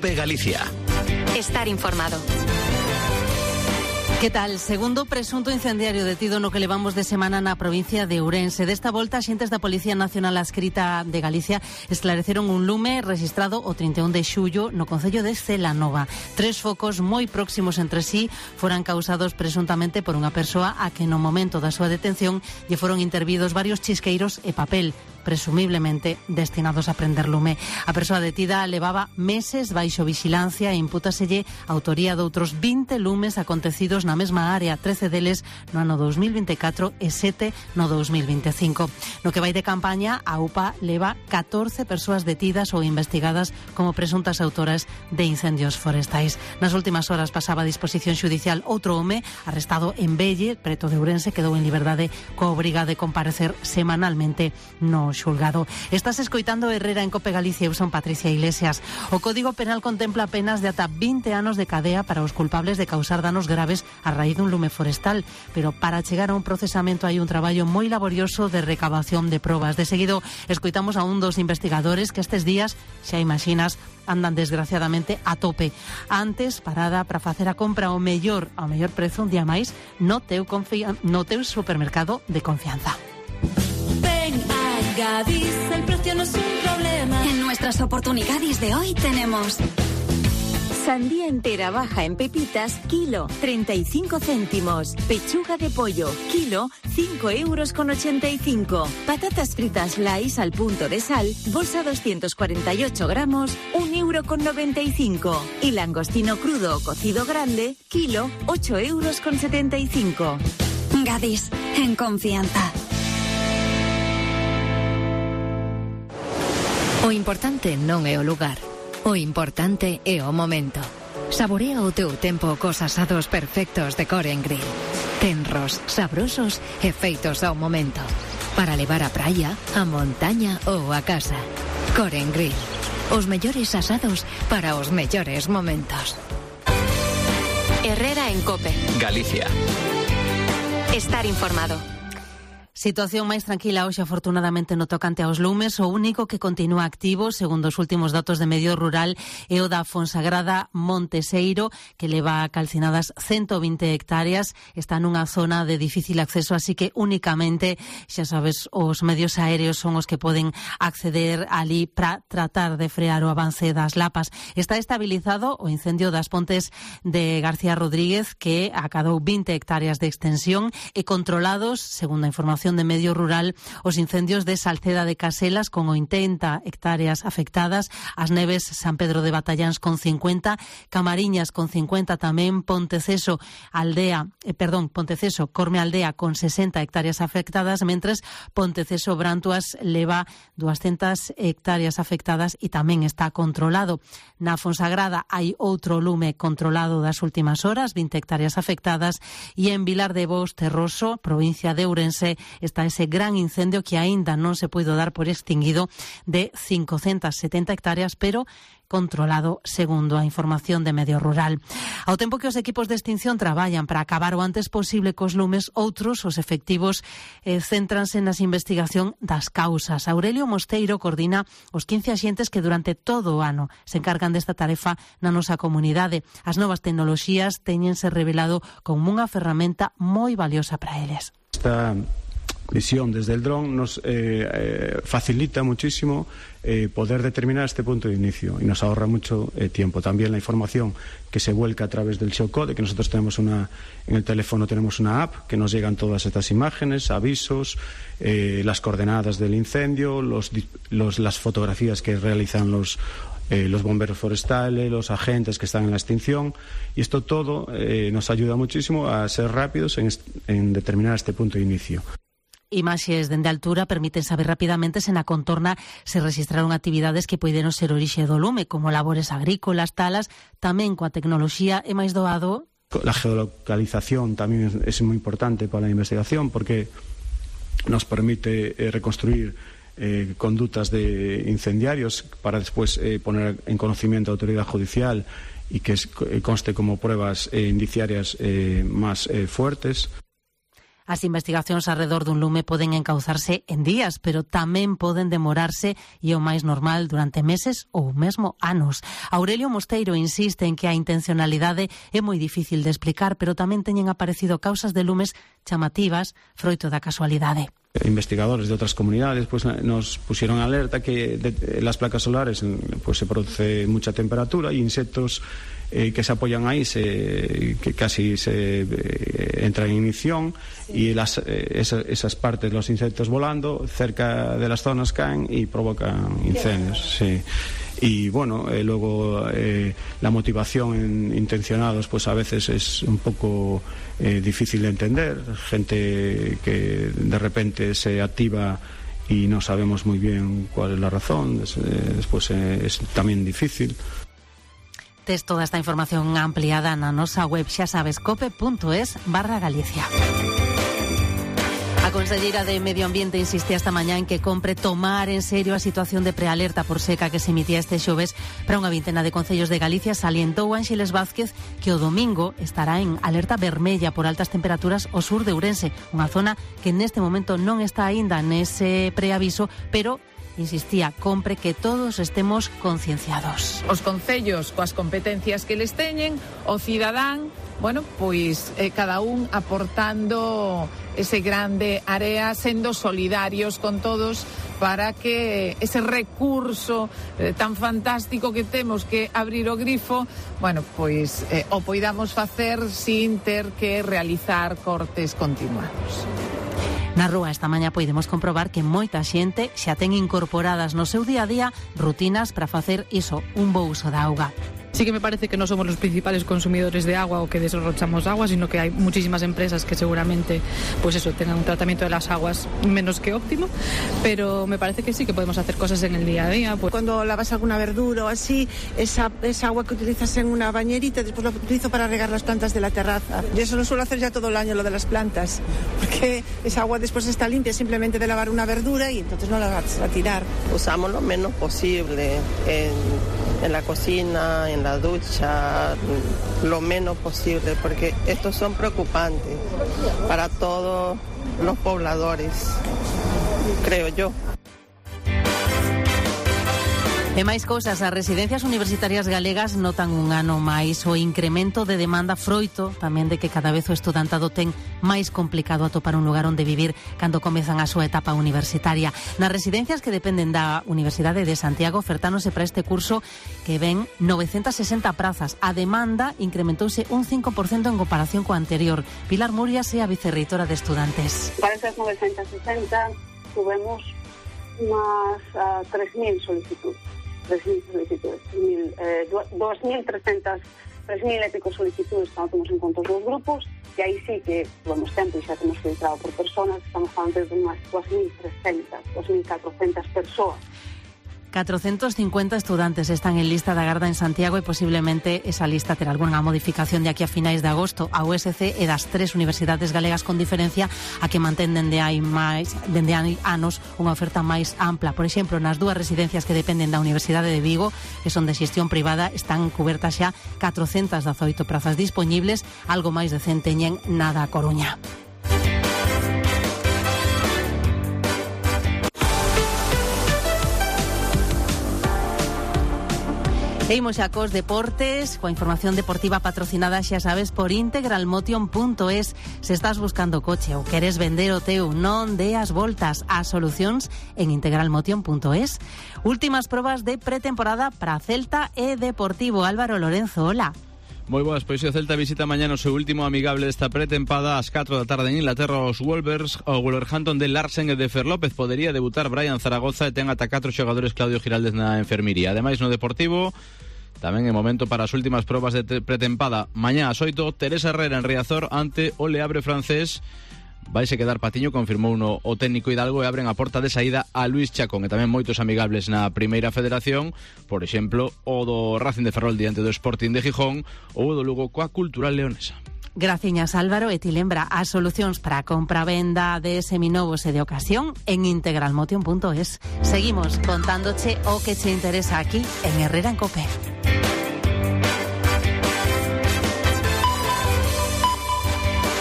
COPE Galicia. Estar informado. Que tal? Segundo presunto incendiario detido no que levamos de semana na provincia de Ourense. Desta volta, axentes da Policía Nacional Adscrita de Galicia esclareceron un lume registrado o 31 de xullo no concello de Celanova. 3 focos moi próximos entre sí foran causados presuntamente por unha persoa a que no momento da súa detención lle foron intervidos varios chisqueiros e papel, presumiblemente destinados a prender lume. A persoa detida levaba meses baixo vixilancia e impútaselle a autoría de outros 20 lumes acontecidos na mesma área, 13 deles no ano 2024 e 7 no 2025. No que vai de campaña, a UPA leva 14 persoas detidas ou investigadas como presuntas autoras de incendios forestais. Nas últimas horas pasaba a disposición xudicial outro home arrestado en Velle, preto de Ourense, quedou en liberdade coa obriga de comparecer semanalmente no xulgado. Estás escoitando Herrera en COPE Galicia. Eu son Patricia Iglesias. O Código Penal contempla penas de ata 20 anos de cadea para os culpables de causar danos graves a raíz dun lume forestal, pero para chegar a un procesamento hai un traballo moi laborioso de recabación de probas. De seguido escoitamos a un dos investigadores que estes días, xa imaginas, andan desgraciadamente a tope. Antes, parada para facer a compra ao mellor prezo un día máis no teu supermercado de confianza. Gadis, el precio no es un problema. En nuestras oportunidades de hoy tenemos sandía entera baja en pepitas, kilo, 35 céntimos. Pechuga de pollo, kilo, 5,85 €. Patatas fritas Lays al punto de sal, bolsa 248 gramos, 1,95 €. Y langostino crudo o cocido grande, kilo, 8,75 €. Gadis, en confianza. O importante non é o lugar, o importante é o momento. Saborea o teu tempo cos asados perfectos de Core & Grill. Tenros, sabrosos e feitos ao momento. Para levar á praia, á montaña ou á casa. Core & Grill. Os mellores asados para os mellores momentos. Herrera en COPE Galicia. Estar informado. Situación máis tranquila hoxe, afortunadamente, no tocante aos lumes. O único que continúa activo, segundo os últimos datos de Medio Rural, é o da Fonsagrada Monteseiro, que leva calcinadas 120 hectáreas. Está nunha zona de difícil acceso, así que únicamente, xa sabes, os medios aéreos son os que poden acceder ali para tratar de frear o avance das lapas. Está estabilizado o incendio das Pontes de García Rodríguez, que acadou 20 hectáreas de extensión, e controlados, segundo a información de Medio Rural, os incendios de Salceda de Caselas con 80 hectáreas afectadas, as Neves San Pedro de Batalláns con 50, Camariñas con 50 tamén, Ponteceso Corme Aldea con 60 hectáreas afectadas, mentres Ponteceso Brantuas leva 200 hectáreas afectadas e tamén está controlado. Na Fonsagrada hai outro lume controlado das últimas horas, 20 hectáreas afectadas, e en Vilar de Bous, Terroso, provincia de Ourense, está ese gran incendio que aínda non se puido dar por extinguido, de 570 hectáreas, pero controlado, segundo a información de Medio Rural. Ao tempo que os equipos de extinción traballan para acabar o antes posible cos lumes, outros, os efectivos, céntranse nas investigación das causas. Aurelio Mosteiro coordina os 15 axentes que durante todo o ano se encargan desta tarefa na nosa comunidade. As novas tecnoloxías teñense revelado como unha ferramenta moi valiosa para eles. Esta visión desde el dron nos facilita muchísimo poder determinar este punto de inicio y nos ahorra mucho tiempo. También la información que se vuelca a través del geocode, que nosotros tenemos en el teléfono tenemos una app que nos llegan todas estas imágenes, avisos, las coordenadas del incendio, las fotografías que realizan los bomberos forestales, los agentes que están en la extinción, y esto todo nos ayuda muchísimo a ser rápidos en determinar este punto de inicio. Imaxes dende altura permiten saber rapidamente se na contorna se registraron actividades que poideron ser orixe do lume, como labores agrícolas, talas. Tamén coa tecnoloxía é máis doado. La geolocalización tamén es muy importante para la investigación porque nos permite reconstruir conductas de incendiarios para después poner en conocimiento a la autoridad judicial y que conste como pruebas indiciarias más fuertes. As investigacións alrededor dun lume poden encauzarse en días, pero tamén poden demorarse e o máis normal durante meses ou mesmo anos. Aurelio Mosteiro insiste en que a intencionalidade é moi difícil de explicar, pero tamén teñen aparecido causas de lumes chamativas froito da casualidade. Investigadores de otras comunidades pues nos pusieron alerta que de las placas solares pues se produce mucha temperatura y insectos que se apoyan ahí que casi se entran en ignición y esas partes, los insectos volando cerca de las zonas caen y provocan incendios. Sí. Y bueno, luego la motivación intencionados pues a veces es un poco difícil de entender, gente que de repente se activa y no sabemos muy bien cuál es la razón, después es también difícil. Tes toda esta información ampliada na nosa web, xa sabes, cope.es/Galicia. A conselleira de Medio Ambiente insistía esta mañá en que compre tomar en serio a situación de prealerta por seca que se emitía este xoves para unha vintena de concellos de Galicia. Salientou Ángeles Vázquez que o domingo estará en alerta vermella por altas temperaturas ao sur de Ourense, unha zona que neste momento non está aínda nese preaviso, pero insistía, compre que todos estemos concienciados. Os concellos coas competencias que les teñen, o cidadán, bueno, pois cada un aportando ese grande área, sendo solidarios con todos para que ese recurso tan fantástico que temos que abrir o grifo, bueno, pois o poidamos facer sin ter que realizar cortes continuados. Na rúa esta mañá podemos comprobar que moita xente xa ten incorporadas no seu día a día rutinas para facer iso, un bo uso da auga. Sí que me parece que no somos los principales consumidores de agua o que derrochamos agua, sino que hay muchísimas empresas que seguramente pues eso, tengan un tratamiento de las aguas menos que óptimo, pero me parece que sí que podemos hacer cosas en el día a día. Pues. Cuando lavas alguna verdura o así, esa agua que utilizas en una bañerita, después la utilizo para regar las plantas de la terraza. Yo eso lo suelo hacer ya todo el año, lo de las plantas, porque esa agua después está limpia simplemente de lavar una verdura y entonces no la vas a tirar. Usamos lo menos posible en la cocina, en la ducha, lo menos posible, porque estos son preocupantes para todos los pobladores, creo yo. E máis cousas, as residencias universitarias galegas notan un ano máis o incremento de demanda froito tamén de que cada vez o estudantado ten máis complicado atopar un lugar onde vivir cando comezan a súa etapa universitaria. Nas residencias que dependen da Universidade de Santiago ofertáronse para este curso que ven 960 prazas. A demanda incrementouse un 5% en comparación coa anterior. Pilar Murias é a vicerreitora de estudantes. Para esas 960 tuvemos unas 3.000 solicitudes. 2.300, 3.000 e pico solicitudes que non temos en conta os grupos, e aí sí que tuvemos tempo e xa temos filtrado por personas, estamos falando de unhas 2.300, 2.400 persoas. 450 estudantes están en lista de agarda en Santiago e posiblemente esa lista terá algunha modificación de aquí a finais de agosto. A USC é das 3 universidades galegas con diferencia a que mantén dende hai anos unha oferta máis ampla. Por exemplo, nas dúas residencias que dependen da Universidade de Vigo, que son de xestión privada, están cubertas xa 418 prazas dispoñibles, algo máis de 100 teñen na da Coruña. Seguimos xa cos deportes, coa información deportiva patrocinada, xa sabes, por integralmotion.es. Se estás buscando coche ou queres vender o teu, non deas voltas ás solucións en integralmotion.es. Últimas probas de pretemporada para Celta e Deportivo. Álvaro Lorenzo, hola. Moi boas, pois o Celta visita mañá o seu último amigable desta pretempada ás 4 da tarde en Inglaterra os Wolverhampton de Larsen e de Fer López. Podería debutar Brian Zaragoza e ten ata 4 xogadores Claudio Giraldez na enfermería. Ademais, no Deportivo tamén é momento para as últimas probas de pretempada. Mañá ás 8, Teresa Herrera en Riazor ante o Leabre francés. Vaise quedar Patiño, confirmou o técnico Hidalgo, e abren a porta de saída a Luís Chacón. E tamén moitos amigables na Primeira Federación, por exemplo, o do Racing de Ferrol diante do Sporting de Gijón ou o do Lugo coa Cultural Leonesa. Graciñas, Álvaro, e ti lembra as solucións para a compra-venda de seminovos e de ocasión en integralmotion.es. Seguimos contándoche o que che interesa aquí en Herrera en Cope.